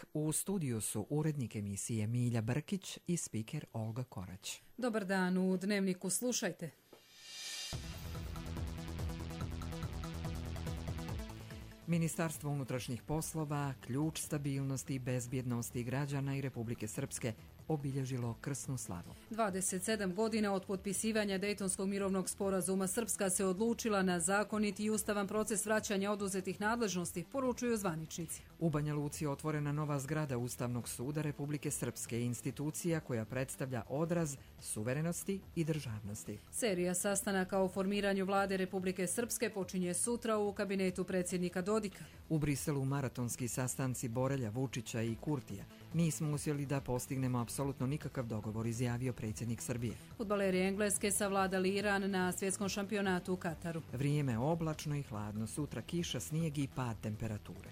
petak. U studiju su urednik emisije Milja Brkić i spiker Olga Korać. Dobar dan, u Dnevniku slušajte. Ministarstvo unutrašnjih poslova, ključ stabilnosti i bezbjednosti građana i Republike Srpske, obilježilo krsnu slavu. 27 godina od potpisivanja Dejtonskog mirovnog sporazuma Srpska se odlučila na zakonit i ustavan proces vraćanja oduzetih nadležnosti, poručuju zvaničnici. U Banja Luci je otvorena nova zgrada Ustavnog suda Republike Srpske, institucija koja predstavlja odraz suverenosti i državnosti. Serija sastanaka o formiranju vlade Republike Srpske počinje sutra u kabinetu predsjednika Dodika. U Briselu maratonski sastanci Borelja, Vučića i Kurtija. Nismo uspjeli da postignemo apsolutno nikakav dogovor, izjavio predsjednik Srbije. Fudbaleri Engleske savladali Iran na svjetskom šampionatu u Kataru. Vrijeme oblačno i hladno, sutra kiša, snijeg i pad temperature.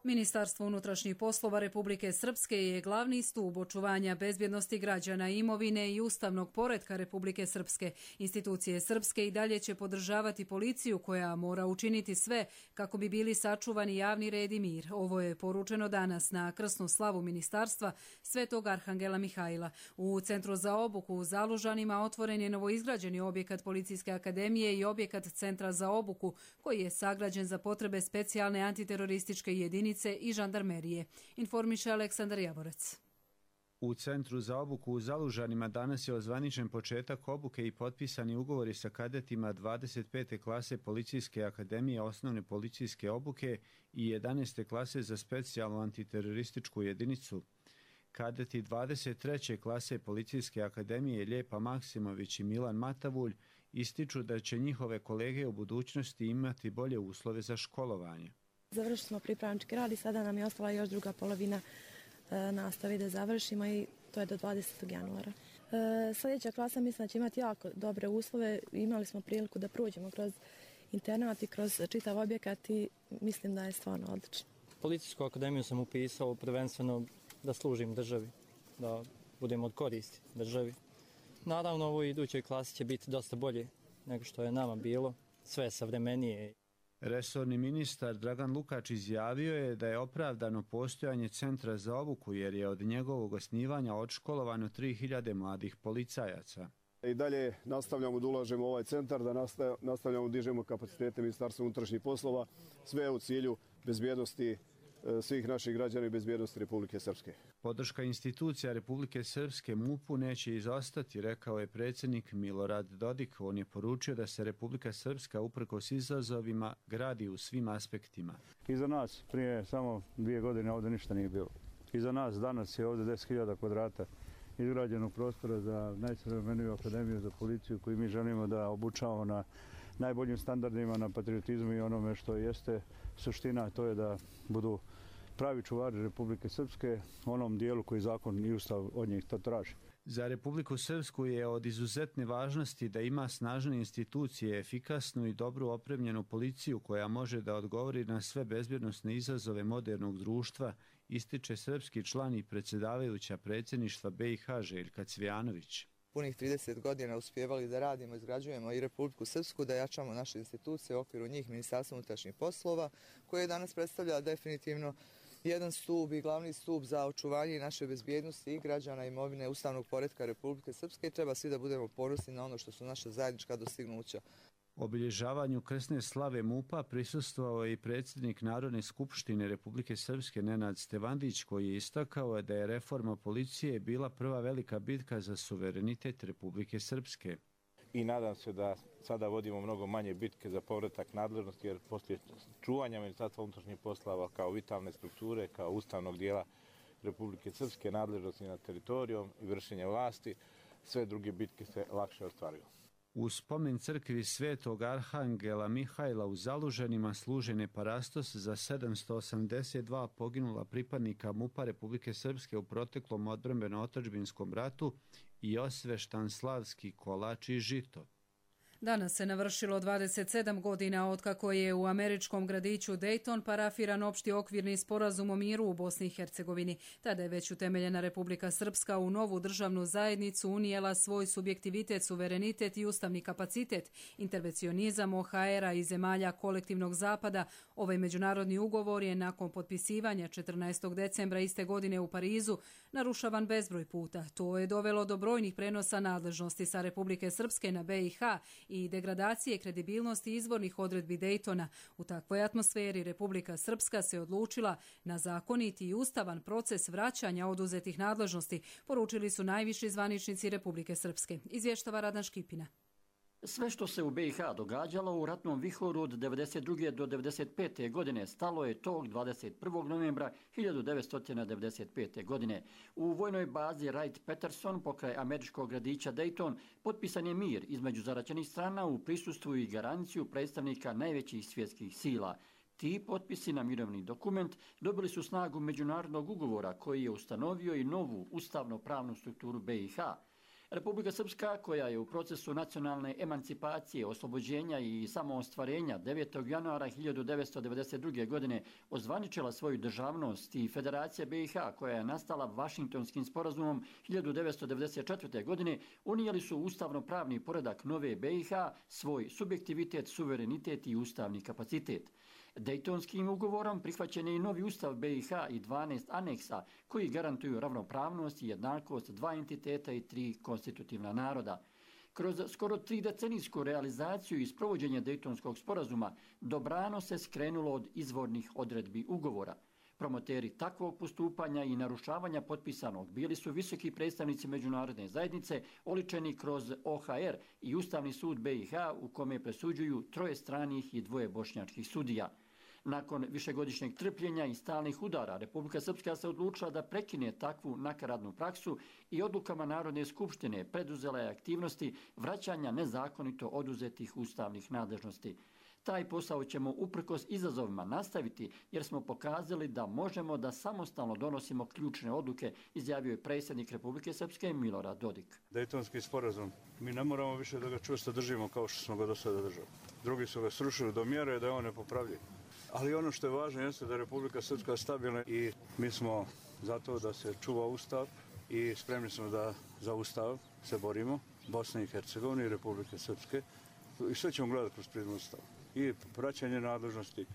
Ministarstvo unutrašnjih poslova Republike Srpske je glavni stup očuvanja bezbjednosti građana, imovine i ustavnog poretka Republike Srpske. Institucije Srpske i dalje će podržavati policiju koja mora učiniti sve kako bi bili sačuvani javni red i mir. Ovo je poručeno danas na krsnu slavu ministarstva Svetog Arhangela Mihajla. U Centru za obuku u Zalužanima otvoren je novoizgrađeni objekat Policijske akademije i objekat Centra za obuku koji je sagrađen za potrebe specijalne antiterorističke jedinice i žandarmerije, informiše Aleksandar Javorec. U Centru za obuku u Zalužanima danas je ozvaničen početak obuke i potpisani ugovori sa kadetima 25. klase Policijske akademije osnovne policijske obuke i 11. klase za specijalnu antiterorističku jedinicu. Kadeti 23. klase Policijske akademije Ljepa Maksimović i Milan Matavulj ističu da će njihove kolege u budućnosti imati bolje uslove za školovanje. Završili smo pripravnički rad i sada nam je ostala još druga polovina nastave da završimo i to je do 20. januara. Sljedeća klasa mislim da će imati jako dobre uslove. Imali smo priliku da prođemo kroz internat i kroz čitav objekat i mislim da je stvarno odlično. Policijsku akademiju sam upisao prvenstveno da služim državi, da budem od koristi državi. Naravno, u ovoj idućoj klasi će biti dosta bolje nego što je nama bilo, sve savremenije. Resorni ministar Dragan Lukač izjavio je da je opravdano postojanje Centra za obuku jer je od njegovog osnivanja odškolovano 3000 mladih policajaca. I dalje nastavljamo da ulažemo u ovaj centar, da nastavljamo da dižemo kapacitete Ministarstva unutrašnjih poslova, sve u cilju bezbjednosti svih naših građana i bezbjednosti Republike Srpske. Podrška institucija Republike Srpske MUP-u neće izostati, rekao je predsjednik Milorad Dodik. On je poručio da se Republika Srpska uprkos izazovima gradi u svim aspektima. Iza nas prije samo 2 godine ovdje ništa nije bilo. Iza nas danas je ovdje 10.000 kvadrata izgrađenog prostora za najsavremeniju akademiju za policiju koju mi želimo da obučavamo na najboljim standardima, na patriotizmu i onome što jeste suština, to je da budu pravi čuvari Republike Srpske u onom dijelu koji zakon i ustav od njih to traži. Za Republiku Srpsku je od izuzetne važnosti da ima snažne institucije, efikasnu i dobro opremljenu policiju koja može da odgovori na sve bezbjednosne izazove modernog društva, ističe srpski član i predsjedavajuća predsjedništva BiH Željka Cvijanović. Punih 30 godina uspjevali da radimo, izgrađujemo i Republiku Srpsku, da jačamo naše institucije u okviru njih Ministarstva unutrašnjih poslova, koje danas predstavlja definitivno jedan stup i glavni stup za očuvanje naše bezbjednosti i građana, imovine, ustavnog poretka Republike Srpske i treba svi da budemo ponosni na ono što su naša zajednička dostignuća. Obilježavanju krsne slave MUP-a prisustvovao je i predsjednik Narodne skupštine Republike Srpske Nenad Stevandić, koji je istakao da je reforma policije bila prva velika bitka za suverenitet Republike Srpske. I nadam se da sada vodimo mnogo manje bitke za povratak nadležnosti, jer poslije čuvanja Ministarstva unutrašnjih poslova kao vitalne strukture, kao ustavnog dijela Republike Srpske, nadležnosti nad teritorijom i vršenje vlasti, sve druge bitke se lakše ostvaruju. U spomen crkvi Svetog Arhangela Mihajla u Zalužanima služen je parastos za 782 poginula pripadnika MUP-a Republike Srpske u proteklom odbrambeno-otadžbinskom ratu i osveštan slavski kolač i žito. Danas se navršilo 27 godina otkako je u američkom gradiću Dayton parafiran opšti okvirni sporazum o miru u Bosni i Hercegovini. Tada je već utemeljena Republika Srpska u novu državnu zajednicu unijela svoj subjektivitet, suverenitet i ustavni kapacitet. Intervencionizam OHR-a i zemalja kolektivnog zapada. Ovaj međunarodni ugovor je nakon potpisivanja 14. decembra iste godine u Parizu narušavan bezbroj puta. To je dovelo do brojnih prenosa nadležnosti sa Republike Srpske na BiH i degradacije kredibilnosti izvornih odredbi Daytona. U takvoj atmosferi Republika Srpska se odlučila na zakoniti i ustavan proces vraćanja oduzetih nadležnosti, poručili su najviši zvaničnici Republike Srpske. Izvještava Radan Škipina. Sve što se u BiH događalo u ratnom vihoru od 1992. do 1995. godine stalo je tog 21. novembra 1995. godine. U vojnoj bazi Wright-Patterson pokraj američkog gradića Dayton potpisan je mir između zaraćenih strana u prisustvu i garanciju predstavnika najvećih svjetskih sila. Ti potpisi na mirovni dokument dobili su snagu međunarodnog ugovora koji je ustanovio i novu ustavno-pravnu strukturu BiH. Republika Srpska, koja je u procesu nacionalne emancipacije, oslobođenja i samoostvarenja 9. januara 1992. godine ozvaničila svoju državnost, i Federacija BiH, koja je nastala Vašingtonskim sporazumom 1994. godine, unijeli su ustavno-pravni poredak nove BiH, svoj subjektivitet, suverenitet i ustavni kapacitet. Dejtonskim ugovorom prihvaćen je i novi ustav BiH i 12 aneksa koji garantuju ravnopravnost i jednakost dva entiteta i tri konstitutivna naroda. Kroz skoro 3-decenijsku realizaciju i sprovođenje Dejtonskog sporazuma dobrano se skrenulo od izvornih odredbi ugovora. Promoteri takvog postupanja i narušavanja potpisanog bili su visoki predstavnici međunarodne zajednice oličeni kroz OHR i Ustavni sud BiH u kome presuđuju 3 stranih i 2 bošnjačkih sudija. Nakon višegodišnjeg trpljenja i stalnih udara, Republika Srpska se odlučila da prekine takvu nakaradnu praksu i odlukama Narodne skupštine preduzela je aktivnosti vraćanja nezakonito oduzetih ustavnih nadležnosti. Taj posao ćemo uprkos izazovima nastaviti jer smo pokazali da možemo da samostalno donosimo ključne odluke, izjavio je predsjednik Republike Srpske Milorad Dodik. Dejtonski sporazum. Mi ne moramo više da ga čvrsto držimo kao što smo ga do sada držali. Drugi su ga srušili do mjere da je on nepopravljiv. Ali ono što je važno jeste da je Republika Srpska stabilna i mi smo zato da se čuva Ustav i spremni smo da za Ustav se borimo, Bosne i Hercegovine i Republike Srpske, i sve ćemo gledati kroz prizmu Ustava. I vraćanje nadležnosti,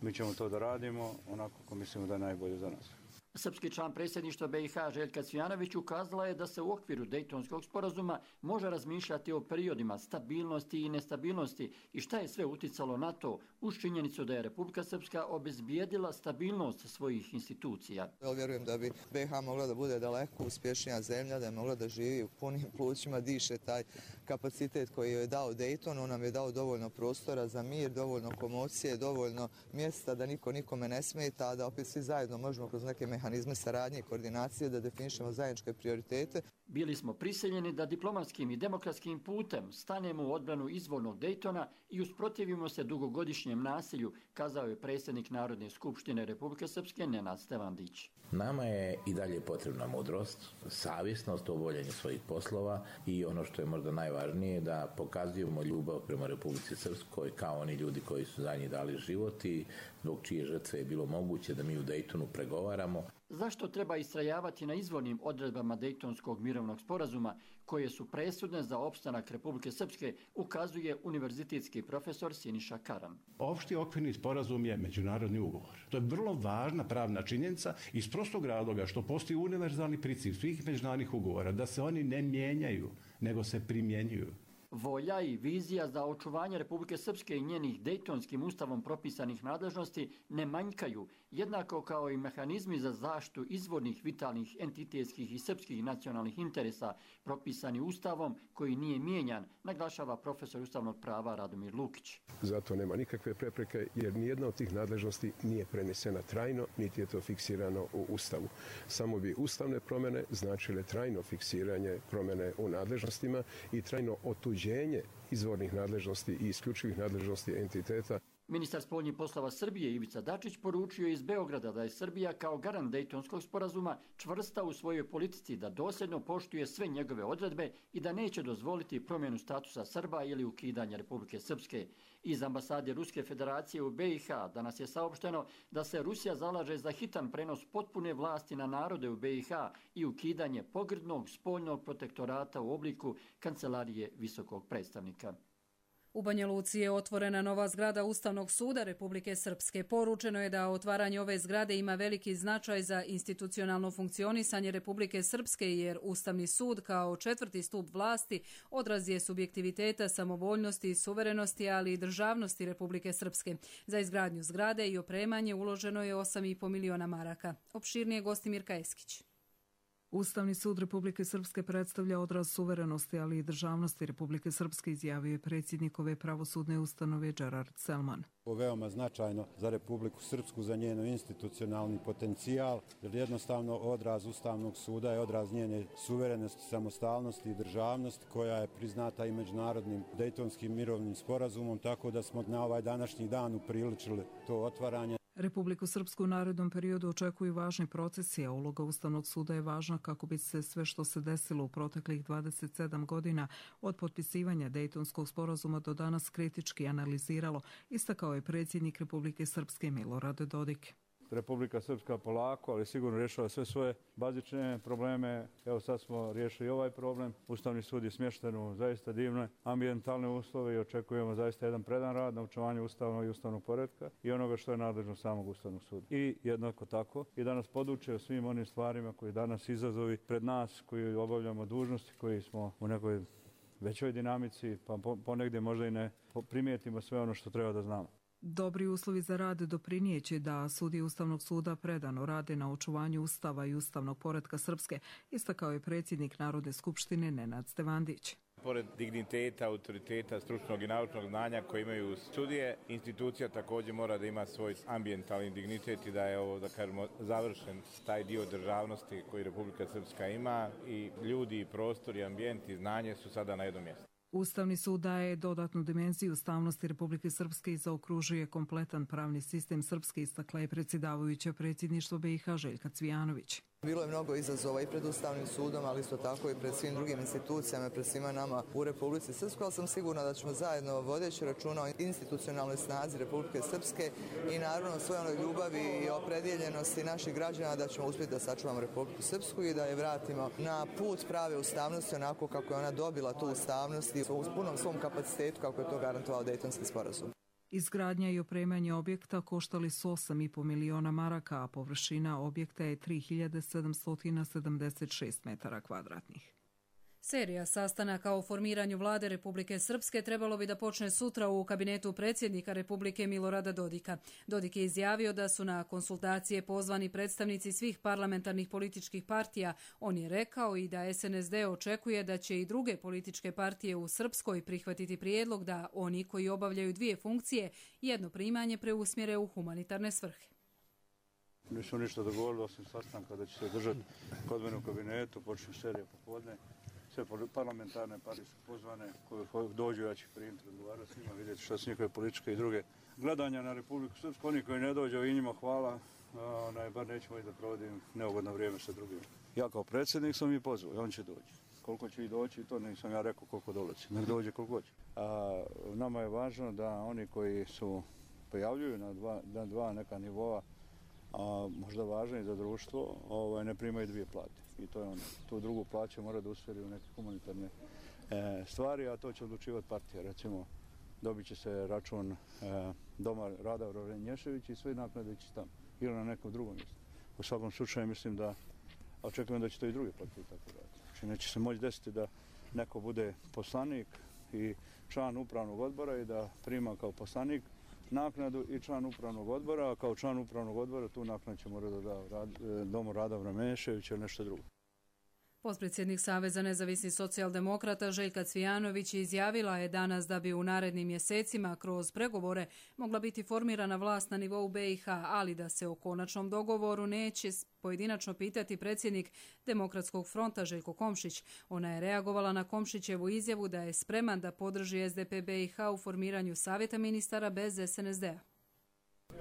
mi ćemo to da radimo onako kako mislimo da je najbolje za nas. Srpski član predsjedništva BiH Željka Cvijanović ukazala je da se u okviru Dejtonskog sporazuma može razmišljati o periodima stabilnosti i nestabilnosti i šta je sve uticalo na to, uz činjenicu da je Republika Srpska obezbijedila stabilnost svojih institucija. Ja vjerujem da bi BiH mogla da bude daleko uspješnija zemlja, da je mogla da živi u punim plućima, diše taj kapacitet koji je dao Dayton. On nam je dao dovoljno prostora za mir, dovoljno komocije, dovoljno mjesta da niko nikome ne smeta, da opet svi zajedno možemo kroz neke mehanizme saradnje i koordinacije da definišemo zajedničke prioritete. Bili smo prisiljeni da diplomatskim i demokratskim putem stanemo u odbranu izvornog Daytona i usprotivimo se dugogodišnjem nasilju, kazao je predsjednik Narodne skupštine Republike Srpske Nenad Stevandić. Nama je i dalje potrebna mudrost, savjesnost u obavljanju svojih poslova i ono što je možda najvažnije da pokazujemo ljubav prema Republici Srpskoj kao oni ljudi koji su za njih dali život i zbog čije žrtve je bilo moguće da mi u Daytonu pregovaramo. Zašto treba istrajavati na izvornim odredbama Dejtonskog mirovnog sporazuma koje su presudne za opstanak Republike Srpske, ukazuje univerzitetski profesor Siniša Karan. Opšti okvirni sporazum je međunarodni ugovor. To je vrlo važna pravna činjenica iz prostog razloga što postoji univerzalni princip svih međunarodnih ugovora da se oni ne mijenjaju, nego se primjenjuju. Volja i vizija za očuvanje Republike Srpske i njenih Dejtonskim ustavom propisanih nadležnosti ne manjkaju, jednako kao i mehanizmi za zaštitu izvornih vitalnih entitetskih i srpskih nacionalnih interesa propisani ustavom koji nije mijenjan, naglašava profesor ustavnog prava Radomir Lukić. Zato nema nikakve prepreke jer nijedna od tih nadležnosti nije prenesena trajno, niti je to fiksirano u ustavu. Samo bi ustavne promjene značile trajno fiksiranje promjene u nadležnostima i trajno otuđenje izvornih nadležnosti i isključivih nadležnosti entiteta. Ministar spoljnih poslova Srbije Ivica Dačić poručio iz Beograda da je Srbija kao garant Dejtonskog sporazuma čvrsta u svojoj politici, da dosljedno poštuje sve njegove odredbe i da neće dozvoliti promjenu statusa Srba ili ukidanje Republike Srpske. Iz ambasade Ruske federacije u BiH danas je saopšteno da se Rusija zalaže za hitan prenos potpune vlasti na narode u BiH i ukidanje pogrdnog spoljnog protektorata u obliku Kancelarije visokog predstavnika. U Banja Luci je otvorena nova zgrada Ustavnog suda Republike Srpske. Poručeno je da otvaranje ove zgrade ima veliki značaj za institucionalno funkcionisanje Republike Srpske, jer Ustavni sud kao četvrti stup vlasti odraz je subjektiviteta, samovoljnosti i suverenosti, ali i državnosti Republike Srpske. Za izgradnju zgrade i opremanje uloženo je 8,5 miliona maraka. Opširnije Gostimirka Eskić. Ustavni sud Republike Srpske predstavlja odraz suverenosti, ali i državnosti Republike Srpske, izjavio je predsjednik ove pravosudne ustanove Gerard Selman. Ovo je veoma značajno za Republiku Srpsku, za njeno institucionalni potencijal, jer jednostavno odraz Ustavnog suda je odraz njene suverenosti, samostalnosti i državnosti, koja je priznata i međunarodnim Dejtonskim mirovnim sporazumom, tako da smo na ovaj današnji dan upriličili to otvaranje. Republiku Srpsku u narednom periodu očekuju važni procesi, a uloga Ustavnog suda je važna kako bi se sve što se desilo u proteklih 27 godina od potpisivanja Dejtonskog sporazuma do danas kritički analiziralo, istakao je predsjednik Republike Srpske Milorad Dodik. Republika Srpska polako, ali sigurno rješava sve svoje bazične probleme. Evo sad smo riješili ovaj problem. Ustavni sud je smješten u zaista divne ambijentalne uslove i očekujemo zaista jedan predan rad na očuvanju ustavnog i ustavnog poretka i onoga što je nadležno samog Ustavnog suda. I jednako tako i da nas poduče o svim onim stvarima koji danas izazovi pred nas, koji obavljamo dužnosti, koji smo u nekoj većoj dinamici, pa ponegdje možda i ne primijetimo sve ono što treba da znamo. Dobri uslovi za rad doprinijeće da sudije Ustavnog suda predano rade na očuvanju Ustava i ustavnog poretka Srpske, istakao je predsjednik Narodne skupštine Nenad Stevandić. Pored digniteta, autoriteta, stručnog i naučnog znanja koje imaju sudije, institucija također mora da ima svoj ambijentalni dignitet i da je ovo, da kažemo, završen taj dio državnosti koji Republika Srpska ima i ljudi, i prostor, i ambijent, i znanje su sada na jednom mjestu. Ustavni sud daje dodatnu dimenziju ustavnosti Republike Srpske i zaokružuje kompletan pravni sistem Srpske, istakla je predsjedavajuća predsjedništvo BiH Željka Cvijanović. Bilo je mnogo izazova i pred Ustavnim sudom, ali isto tako i pred svim drugim institucijama, pred svima nama u Republici Srpskoj, ali sam sigurna da ćemo zajedno, vodeći računa o institucionalnoj snazi Republike Srpske i naravno svojoj ljubavi i opredjeljenosti naših građana, da ćemo uspjeti da sačuvamo Republiku Srpsku i da je vratimo na put prave ustavnosti onako kako je ona dobila tu ustavnost i u punom svom kapacitetu kako je to garantovao Dejtonski sporazum. Izgradnja i opremanje objekta koštali su 8,5 miliona maraka, a površina objekta je 3776 metara kvadratnih. Serija sastanaka o formiranju vlade Republike Srpske trebalo bi da počne sutra u kabinetu predsjednika Republike Milorada Dodika. Dodik je izjavio da su na konsultacije pozvani predstavnici svih parlamentarnih političkih partija. On je rekao i da SNSD očekuje da će i druge političke partije u Srpskoj prihvatiti prijedlog da oni koji obavljaju dvije funkcije jedno primanje preusmjere u humanitarne svrhe. Nisu ništa dogovorili osim sastanka da će se držati kod mene u kabinetu, počne serija popodne. Sve parlamentarne partije su pozvane, koje dođu, ja ću primiti, razgovarati s njima, vidjeti što su njihove političke i druge gledanja na Republiku Srpsku. Oni koji ne dođu i njima hvala, bar nećemo i da provodim neugodno vrijeme sa drugima. Ja kao predsjednik sam ih pozvao i on će doći. Koliko će i doći, to nisam ja rekao koliko dolazi. Nek dođe koliko hoće. Nama je važno da oni koji su pojavljuju na dva neka nivoa, a možda važno i za društvo, ne primaju dvije plate. I to je ono, tu drugu plaću mora da usmjeri u neke humanitarne stvari, a to će odlučivati partija. Recimo, dobit će se račun Doma Rada Vrovnješević i sve naknade će tamo ili na nekom drugom mjestu. U svakom slučaju mislim da očekujem da će to i druge partije tako raditi. Znači neće se moći desiti da neko bude poslanik i član upravnog odbora i da prima kao poslanik naknadu i član upravnog odbora, a kao član upravnog odbora tu naknadu će morati da da Domu Rada Vrovnješević ili nešto drugo. Potpredsjednik Saveza nezavisnih socijaldemokrata Željka Cvijanović izjavila je danas da bi u narednim mjesecima kroz pregovore mogla biti formirana vlast na nivou BiH, ali da se o konačnom dogovoru neće pojedinačno pitati predsjednik Demokratskog fronta Željko Komšić. Ona je reagovala na Komšićevu izjavu da je spreman da podrži SDP BiH u formiranju savjeta ministara bez SNSD-a.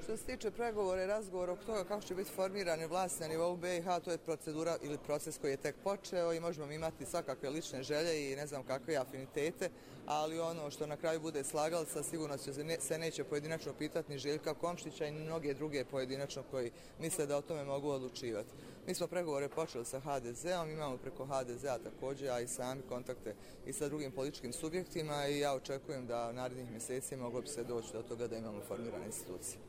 Što se tiče pregovora i razgovora oko toga kako će biti formirane vlasti na nivou BiH, to je procedura ili proces koji je tek počeo i možemo imati svakakve lične želje i ne znam kakve afinitete, ali ono što na kraju bude slagalca sigurno se neće pojedinačno pitati ni Željka Komšića i mnoge druge pojedinačno koji misle da o tome mogu odlučivati. Mi smo pregovore počeli sa HDZ-om, imamo preko HDZ-a također, a i sami kontakte i sa drugim političkim subjektima i ja očekujem da narednih mjeseci moglo bi se doći do toga da imamo formirane institucije.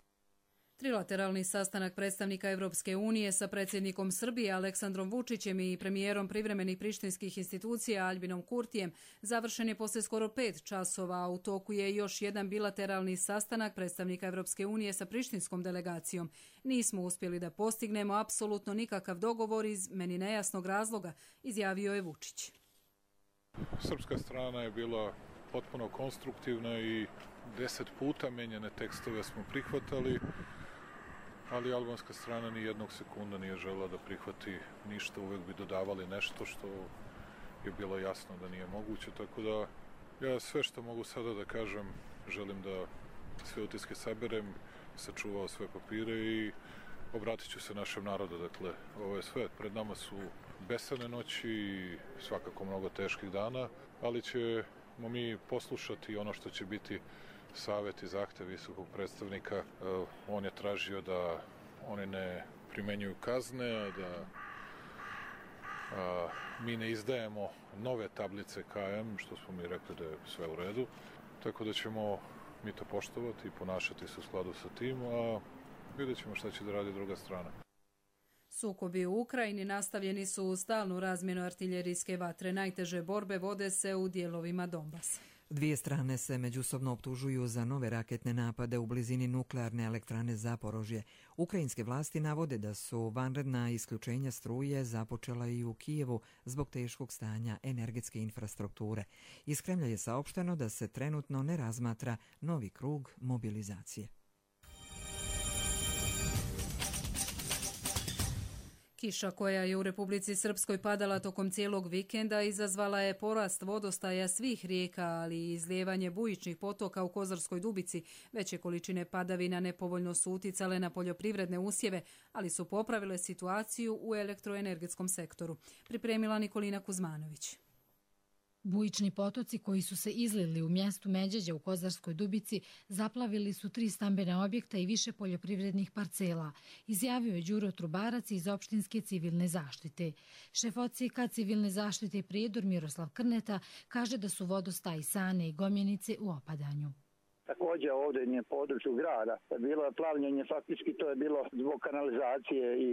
Trilateralni sastanak predstavnika Europske unije sa predsjednikom Srbije Aleksandrom Vučićem i premijerom privremenih prištinskih institucija Albinom Kurtijem završen je poslije skoro 5 časova, a u toku je još jedan bilateralni sastanak predstavnika Europske unije sa prištinskom delegacijom. Nismo uspjeli da postignemo apsolutno nikakav dogovor iz meni nejasnog razloga, izjavio je Vučić. Srpska strana je bila potpuno konstruktivna i 10 puta menjane tekstove smo prihvatali, ali albanska strana ni jednog sekunda nije željela da prihvati ništa, uvek bi dodavali nešto što je bilo jasno da nije moguće, tako da ja sve što mogu sada da kažem, želim da sve utiske saberem, sačuvao sve papire i obratit ću se našem narodu. Dakle, ovo je sve, pred nama su besane noći i svakako mnogo teških dana, ali ćemo mi poslušati ono što će biti savjet i zahtev visokog predstavnika. On je tražio da oni ne primenjuju kazne, da mi ne izdajemo nove tablice KM, što smo mi rekli da je sve u redu. Tako da ćemo mi to poštovati i ponašati se u skladu sa tim, a vidjet ćemo šta će da radi druga strana. Sukobi u Ukrajini nastavljeni su u stalnu razmjenu artiljerijske vatre. Najteže borbe vode se u dijelovima Donbasa. Dvije strane se međusobno optužuju za nove raketne napade u blizini nuklearne elektrane Zaporožje. Ukrajinske vlasti navode da su vanredna isključenja struje započela i u Kijevu zbog teškog stanja energetske infrastrukture. Iz Kremlja je saopšteno da se trenutno ne razmatra novi krug mobilizacije. Kiša koja je u Republici Srpskoj padala tokom cijelog vikenda izazvala je porast vodostaja svih rijeka, ali i izlijevanje bujičnih potoka u Kozarskoj Dubici. Veće količine padavina nepovoljno su uticale na poljoprivredne usjeve, ali su popravile situaciju u elektroenergetskom sektoru. Pripremila Nikolina Kuzmanović. Bujični potoci koji su se izlili u mjestu Međeđa u Kozarskoj Dubici zaplavili su 3 stambena objekta i više poljoprivrednih parcela, izjavio je Đuro Trubarac iz opštinske civilne zaštite. Šef odsjeka civilne zaštite Prijedor Miroslav Krneta kaže da su vodostaji Sane i Gomjenice u opadanju. Također ovdje je području grada bilo je plavljenje, faktički to je bilo zbog kanalizacije i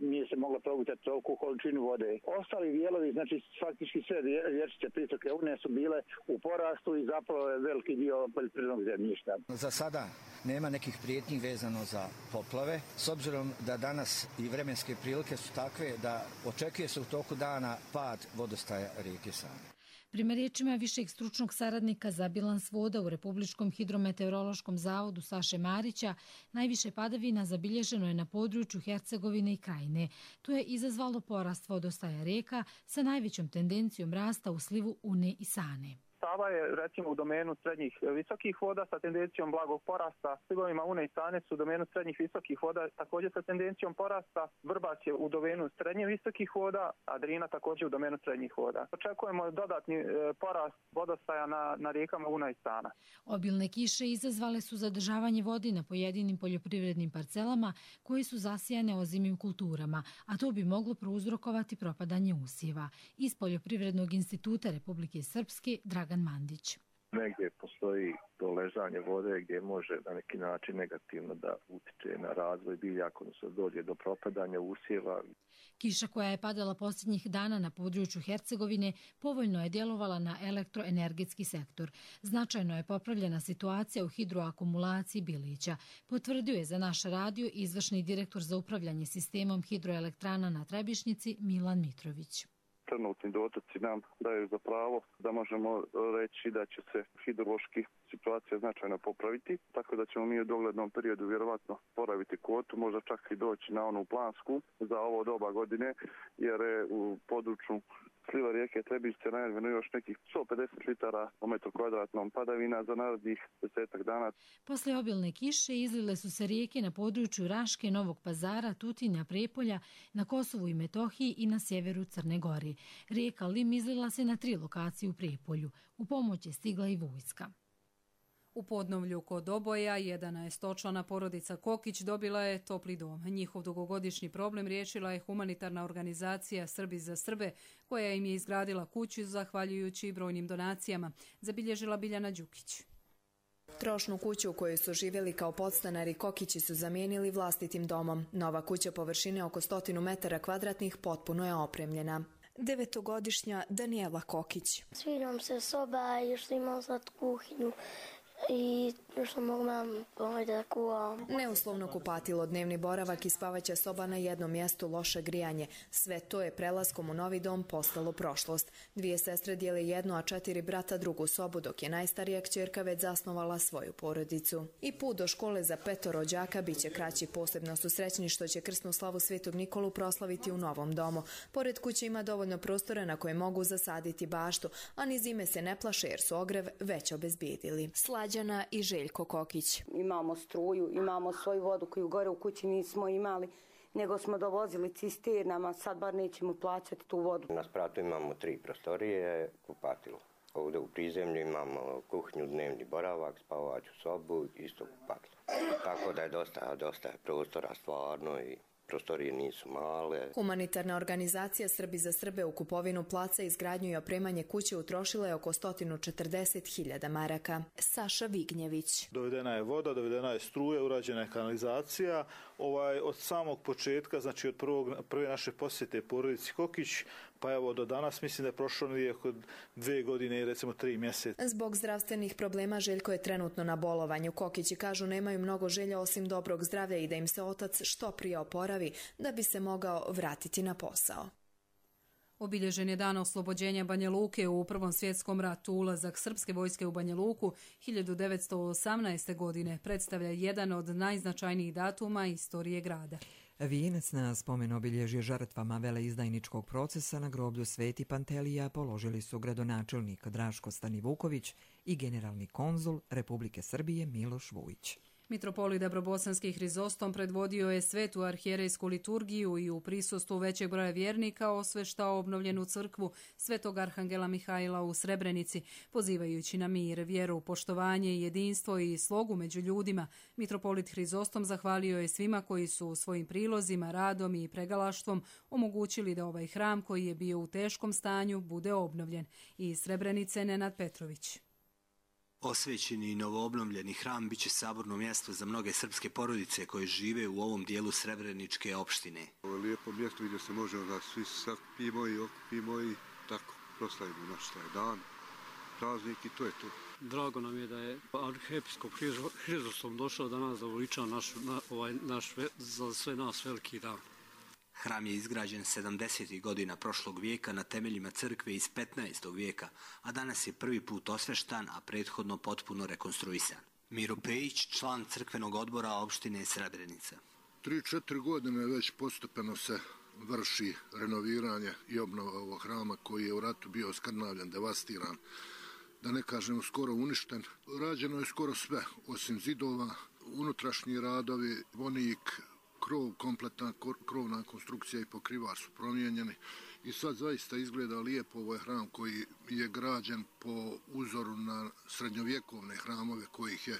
nije se moglo progutati toliku količinu vode. Ostali dijelovi, znači faktički sve rječice pritoke Une su bile u porastu i zapravo je veliki dio poljoprivrednog zemljišta. Za sada nema nekih prijetnji vezano za poplave, s obzirom da danas i vremenske prilike su takve da očekuje se u toku dana pad vodostaja rijeke Sane. Prema riječima višeg stručnog saradnika za bilans voda u Republičkom hidrometeorološkom zavodu Saše Marića, najviše padavina zabilježeno je na području Hercegovine i Krajine. To je izazvalo porast vodostaja rijeka sa najvećom tendencijom rasta u slivu Une i Sane. Sava je recimo u domenu srednjih visokih voda sa tendencijom blagog porasta. Slivovima Une i Sane su u domenu srednjih visokih voda također sa tendencijom porasta. Vrbac je u domenu srednje visokih voda, a Drina također u domenu srednjih voda. Očekujemo dodatni porast vodostaja na rijekama Una i Sana. Obilne kiše izazvale su zadržavanje vode na pojedinim poljoprivrednim parcelama koje su zasijane ozimim kulturama, a to bi moglo prouzrokovati propadanje usjeva. Iz Poljoprivrednog instituta Republike Srpske Dragan Mandić. Negdje postoji to ležanje vode gdje može na neki način negativno da utiče na razvoj biljaka, odnosno dođe do propadanja usjeva. Kiša koja je padala posljednjih dana na području Hercegovine povoljno je djelovala na elektroenergetski sektor. Značajno je popravljena situacija u hidroakumulaciji Bilića, potvrdio je za naš radio izvršni direktor za upravljanje sistemom hidroelektrana na Trebišnjici Milan Mitrović. trenutni dotoci nam daju za pravo da možemo reći da će se hidrološki situacija značajno popraviti, tako da ćemo mi u doglednom periodu vjerovatno poraviti kvotu, možda čak i doći na onu plansku za ovo doba godine, jer je u području sliva rijeke Trebišće najavljeno još nekih 150 litara po metru kvadratnom padavina za narednih 10 dana. Poslije obilne kiše izlile su se rijeke na području Raške, Novog Pazara, Tutinja, Prijepolja, na Kosovu i Metohiji i na sjeveru Crne Gore. Rijeka Lim izlila se na 3 lokacije u Prijepolju. U pomoć je stigla i vojska. U Podnovlju kod Oboja 11-člana porodica Kokić dobila je topli dom. Njihov dugogodišnji problem riješila je humanitarna organizacija Srbi za Srbe, koja im je izgradila kuću zahvaljujući brojnim donacijama, zabilježila Biljana Đukić. Trošnu kuću u kojoj su živjeli kao podstanari Kokići su zamijenili vlastitim domom. Nova kuća površine oko 100 metara kvadratnih potpuno je opremljena. 9-godišnja Danijela Kokić. Sviđam se soba i što imam sad kuhinju i što mogu da kuvam. Neuslovno kupatilo, dnevni boravak i spavaća soba na jednom mjestu, loše grijanje. Sve to je prelaskom u novi dom postalo prošlost. 2 sestre dijele jednu, a 4 brata drugu sobu, dok je najstarija kćerka već zasnovala svoju porodicu. I put do škole za 5 rođaka bit će kraći. Posebno su srećni što će krsnu slavu Svetog Nikolu proslaviti u novom domu. Pored kuće ima dovoljno prostora na koje mogu zasaditi baštu, a ni zime se ne plaše jer su ogrev već obezbijedili. Slađana i Željko Kokić. Imamo struju, imamo svoju vodu koju gore u kući nismo imali, nego smo dovozili cisternama, sad bar nećemo plaćati tu vodu. Na spratu imamo 3 prostorije, kupatilo. Ovdje u prizemlju imamo kuhinju, dnevni boravak, spavaću sobu, isto kupatilo. Tako da je dosta prostora stvarno i prostorije nisu male. Humanitarna organizacija Srbi za Srbe u kupovinu placa, izgradnju i opremanje kuće utrošila je oko 140.000 maraka. Saša Vignjević. Dovedena je voda, dovedena je struja, urađena je kanalizacija. Od samog početka, znači od prve naše posjete porodici Kokić, pa evo do danas mislim da je prošlo negdje oko 2 godine i recimo 3 mjeseca. Zbog zdravstvenih problema Željko je trenutno na bolovanju. Kokići kažu nemaju mnogo želja osim dobrog zdravlja i da im se otac što prije oporavi da bi se mogao vratiti na posao. Obilježen je dan oslobođenja Banja Luke u Prvom svjetskom ratu. Ulazak srpske vojske u Banja Luku 1918. godine predstavlja jedan od najznačajnijih datuma istorije grada. Vijenac na spomen obilježje žrtvama veleizdajničkog procesa na groblju Sveti Pantelija položili su gradonačelnik Draško Stanivuković i generalni konzul Republike Srbije Miloš Vujić. Mitropolit Dabrobosanski Hrizostom predvodio je svetu arhijerejsku liturgiju i u prisustvu većeg broja vjernika osveštao obnovljenu crkvu Svetog Arhangela Mihajla u Srebrenici, pozivajući na mir, vjeru, poštovanje, jedinstvo i slogu među ljudima. Mitropolit Hrizostom zahvalio je svima koji su svojim prilozima, radom i pregalaštvom omogućili da ovaj hram koji je bio u teškom stanju bude obnovljen. Iz Srebrenice Nenad Petrović. Osvećeni i novoobnovljeni hram biće saborno mjesto za mnoge srpske porodice koje žive u ovom dijelu Srebreničke opštine. Ovo je lijepo mjesto gdje se može da svi sakupimo i okupimo i tako proslavimo naš taj dan, praznik i to je to. Drago nam je da je arhiepiskop Hrizostom došao da nas zavoliča za sve nas veliki dan. Hram je izgrađen 70. godina prošlog vijeka na temeljima crkve iz 15. vijeka, a danas je prvi put osveštan, a prethodno potpuno rekonstruisan. Miro Pejić, član crkvenog odbora opštine Srebrenica. 3-4 godine već postupeno se vrši renoviranje i obnova ovog hrama koji je u ratu bio skrnavljen, devastiran, da ne kažemo skoro uništen. Rađeno je skoro sve, osim zidova, unutrašnji radovi, vonik, krov, kompletna krovna konstrukcija i pokrivač su promijenjeni i sad zaista izgleda lijepo. Ovo je hram koji je građen po uzoru na srednjovjekovne hramove kojih je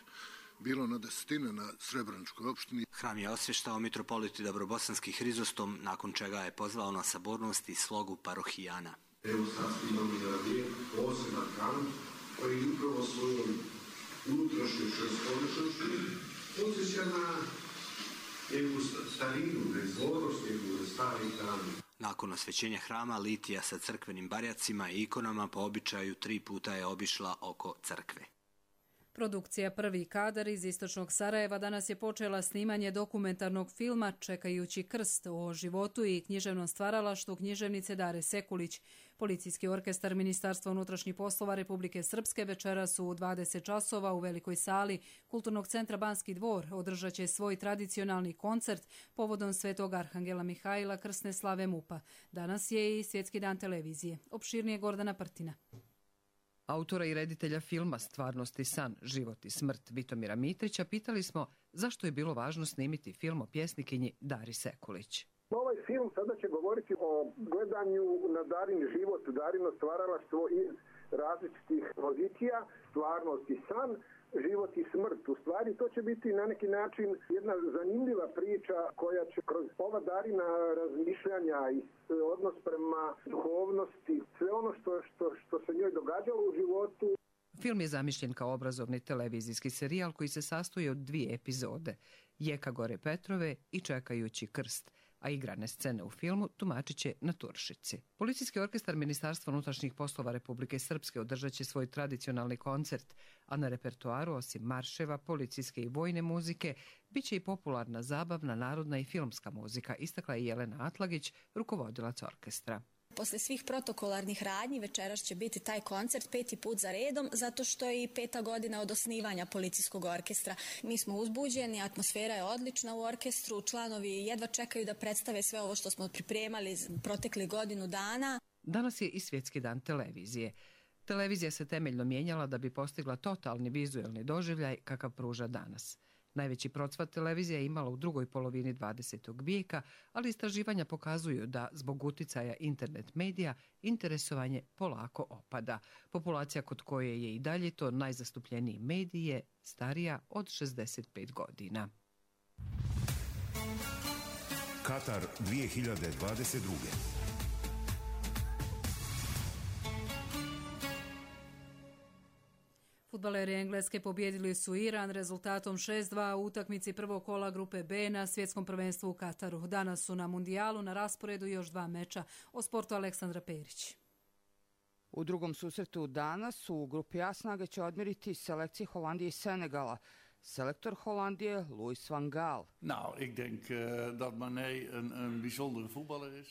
bilo na desetine na Srebreničkoj opštini. Hram je osvještao mitropolit Dabrobosanski Hrizostom, nakon čega je pozvao na sabornost i slogu parohijana. Evo sad imamo poseban hram koji upravo svojom unutrašnjoj šestolečnosti podsjeća na jednu starinu, bezvodnost, jednu stari hram. Nakon osvećenja hrama, litija sa crkvenim barjacima i ikonama po običaju 3 puta je obišla oko crkve. Produkcija Prvi kadar iz istočnog Sarajeva danas je počela snimanje dokumentarnog filma Čekajući krst o životu i književnom stvaralaštvu književnice Dare Sekulić. Policijski orkestar Ministarstva unutrašnjih poslova Republike Srpske večeras u 20 časova u velikoj sali Kulturnog centra Banski dvor održat će svoj tradicionalni koncert povodom Svetog Arhangela Mihajla krsne slave MUP-a. Danas je i Svjetski dan televizije. Opširnije Gordana Prtina. Autora i reditelja filma Stvarnost i san, život i smrt Vitomira Mitrića pitali smo zašto je bilo važno snimiti film o pjesnikinji Dari Sekulić. Ovaj film sada će govoriti o gledanju na Darin život, Darino stvaralaštvo iz različitih pozicija, stvarnost i san, život i smrt. U stvari to će biti na neki način jedna zanimljiva priča koja će kroz ova Darina razmišljanja i odnos prema duhovnosti, sve ono što se njoj događalo u životu. Film je zamišljen kao obrazovni televizijski serijal koji se sastoji od 2 epizode, Jeka gore Petrove i Čekajući krst, a igrane scene u filmu tumačit će na Turšici. Policijski orkestar Ministarstva unutrašnjih poslova Republike Srpske održat će svoj tradicionalni koncert, a na repertoaru osim marševa, policijske i vojne muzike, bit će i popularna zabavna, narodna i filmska muzika, istakla je Jelena Atlagić, rukovodilac orkestra. Posle svih protokolarnih radnji večeras će biti taj koncert 5. put za redom, zato što je i 5. godina od osnivanja policijskog orkestra. Mi smo uzbuđeni, atmosfera je odlična u orkestru, članovi jedva čekaju da predstave sve ovo što smo pripremali protekli godinu dana. Danas je i Svjetski dan televizije. Televizija se temeljno mijenjala da bi postigla totalni vizuelni doživljaj kakav pruža danas. Najveći procvat televizija je imala u drugoj polovini 20. vijeka, ali istraživanja pokazuju da zbog uticaja internet medija interesovanje polako opada. Populacija kod koje je i dalje to najzastupljeniji medij je starija od 65 godina. Katar 2022. Fudbaleri Engleske pobjedili su Iran rezultatom 6-2 u utakmici prvog kola grupe B na svjetskom prvenstvu u Kataru. Danas su na mundijalu na rasporedu još 2 meča. O sportu Aleksandra Perić. U drugom susretu danas u grupi A snage će odmjeriti selekcije Holandije i Senegala. Selektor Holandije, Louis van Gaal.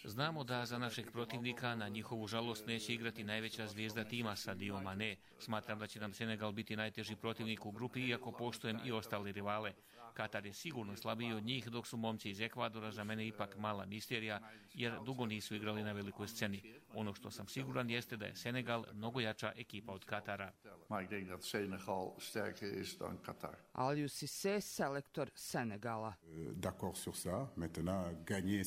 Znamo da za našeg protivnika na njihovu žalost neće igrati najveća zvijezda tima Sadio Mané. Smatram da će nam Senegal biti najteži protivnik u grupi, iako poštujem i ostali rivale. Katar je sigurno slabiji od njih, dok su momci iz Ekvadora za mene ipak mala misterija, jer dugo nisu igrali na velikoj sceni. Ono što sam siguran jeste da je Senegal mnogo jača ekipa od Katara. Aliou Cissé, selektor Senegala.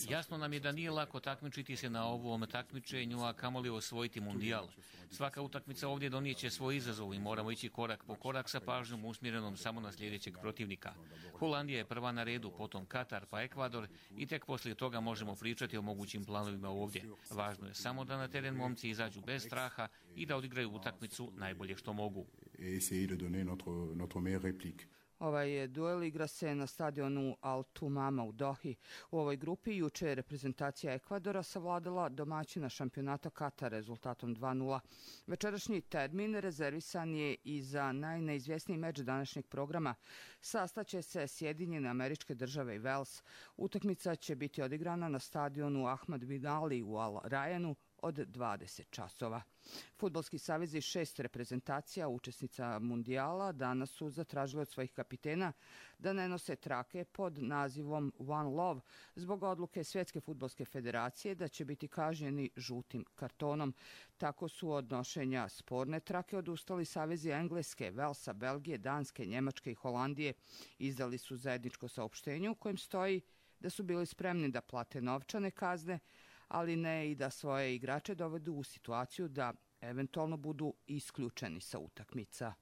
Jasno nam je da nije lako takmičiti se na ovom takmičenju, a kamoli osvojiti mundijal. Svaka utakmica ovdje donijeće svoj izazov i moramo ići korak po korak sa pažnjom usmjerenom samo na sljedećeg protivnika. Holandija je prva na redu, potom Katar pa Ekvador i tek poslije toga možemo pričati o mogućim planovima ovdje. Važno je samo da na teren momci izađu bez straha i da odigraju utakmicu najbolje što mogu. Ovaj duel igra se na stadionu Al Tumama u Dohi. U ovoj grupi juče je reprezentacija Ekvadora savladala domaćina šampionata Katar rezultatom 2:0. Večerašnji termin rezervisan je i za najneizvjesniji meč današnjeg programa. Sastaće se Sjedinjene Američke Države i Vels. Utakmica će biti odigrana na stadionu Ahmad bin Ali u Al Rayanu od 20 časova. Fudbalski savez iz 6 reprezentacija učesnica mundijala danas su zatražili od svojih kapitena da ne nose trake pod nazivom One Love zbog odluke Svjetske fudbalske federacije da će biti kažnjeni žutim kartonom. Tako su od nošenja sporne trake odustali savezi Engleske, Velsa, Belgije, Danske, Njemačke i Holandije. Izdali su zajedničko saopštenje u kojem stoji da su bili spremni da plate novčane kazne, ali ne i da svoje igrače dovedu u situaciju da eventualno budu isključeni sa utakmica.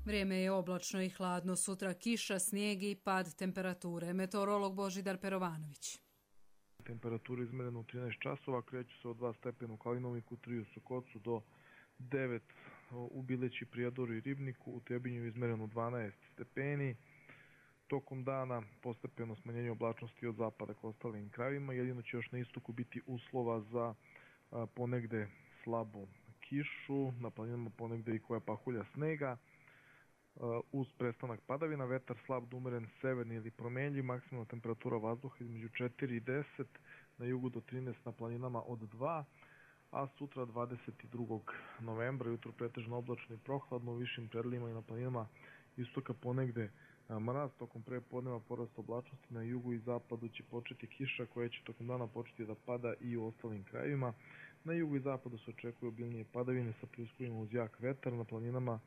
Vrijeme je oblačno i hladno. Sutra kiša, snijeg i pad temperature. Meteorolog Božidar Perovanović. Temperatura izmerena u 13 časova, kreću se od 2 stepena u Kalinovniku, 3 u Sokocu do 9 u Bileći, Prijedoru i Ribniku, u Trebinju izmereno 12 stepeni. Tokom dana postepeno smanjenje oblačnosti od zapada k ostalim krajevima, jedino će još na istoku biti uslova za ponegde slabu kišu, na planinama ponegde i koja pahulja snega, uz prestanak padavina, vetar slab do umeren severni ili promenljiv, maksimalna temperatura vazduha između 4 i 10, na jugu do 13, na planinama od 2, a sutra 22. novembra jutro pretežno oblačno i prohladno, u višim predjelima i na planinama istoka ponegde mraz, tokom prepodneva porast oblačnosti, na jugu i zapadu će početi kiša koja će tokom dana početi da pada i u ostalim krajevima. Na jugu i zapadu se očekuju obilnije padavine sa pljuskovima uz jak vetar, na planinama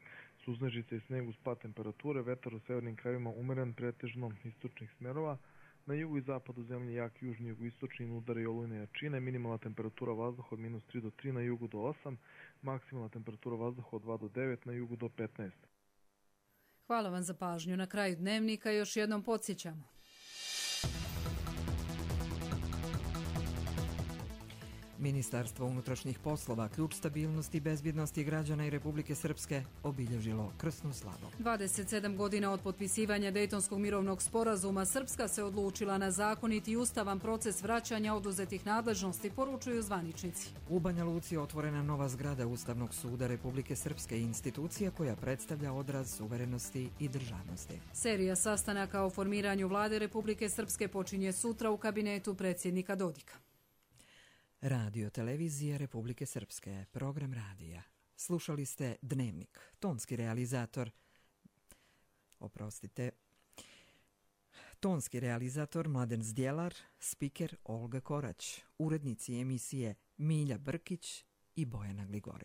suznežice i sneg uz pad temperature, vetar u severnim krajevima umeren pretežno istočnih smerova, na jugu i zapadu zemlje jak južni jugoistočni udare i olujne jačine, minimalna temperatura vazduha od -3 do 3, na jugu do 8, maksimalna temperatura vazduha od 2 do 9, na jugu do 15. Hvala vam za pažnju. Na kraju dnevnika još jednom podsjećamo. Ministarstvo unutrašnjih poslova, ključ stabilnosti i bezbjednosti građana i Republike Srpske, obilježilo krsnu slavu. 27 godina od potpisivanja Dejtonskog mirovnog sporazuma, Srpska se odlučila na zakonit i ustavan proces vraćanja oduzetih nadležnosti, poručuju zvaničnici. U Banja Luci je otvorena nova zgrada Ustavnog suda Republike Srpske, institucija koja predstavlja odraz suverenosti i državnosti. Serija sastanaka o formiranju vlade Republike Srpske počinje sutra u kabinetu predsjednika Dodika. Radio televizije Republike Srpske, program radija. Slušali ste Dnevnik, tonski realizator Mladen Zdjelar, spiker Olga Korać, urednici emisije Milja Brkić i Bojana Gligorjević.